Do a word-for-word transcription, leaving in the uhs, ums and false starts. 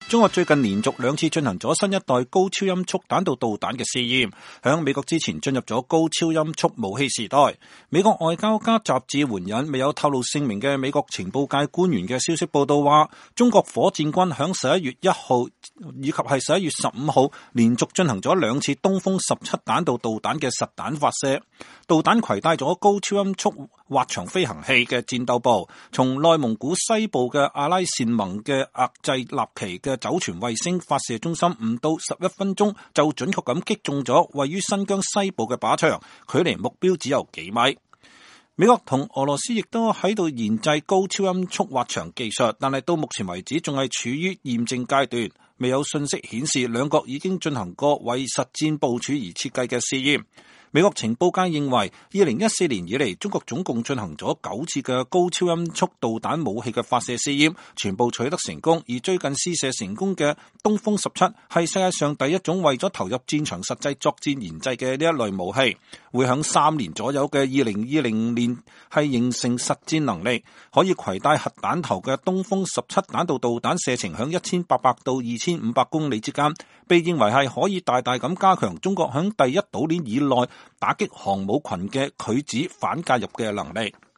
中國最近連續兩次進行咗新一代高超音速彈道導彈嘅試驗，響美國之前進入咗高超音速武器時代。美國外交家雜誌援引未有透露姓名嘅美國情報界官員嘅消息報道話，中國火箭軍響十一月一號以及係十一月十五號連續進行咗兩次東風十七彈道導彈嘅實彈發射。導彈攜帶咗高超音速滑翔飛行器嘅戰鬥部，從內蒙古西部嘅阿拉善盟嘅額濟納旗嘅酒泉衛星發射中心，唔到十一分鐘就準確咁擊中咗位於新疆西部嘅靶場，距離目標只有幾米。美國同俄羅斯亦都喺度研製高超音速滑翔技術，但係到目前為止仲係處於驗證階段，未有信息顯示兩國已經進行過為實戰部署而設計嘅試驗。美國情報界認為，二零一四年以嚟，中國總共進行咗九次嘅高超音速導彈武器嘅發射試驗，全部取得成功。而最近試射成功嘅東風十七係世界上第一種為咗投入戰場實際作戰研製嘅呢一類武器，會響三年左右嘅二零二零年係形成實戰能力，可以攜帶核彈頭嘅東風十七彈道導彈射程響一千八百到二千五百公里之間，被認為係可以大大咁加強中國響第一島鏈以內打擊航母群嘅拒止反介入嘅能力。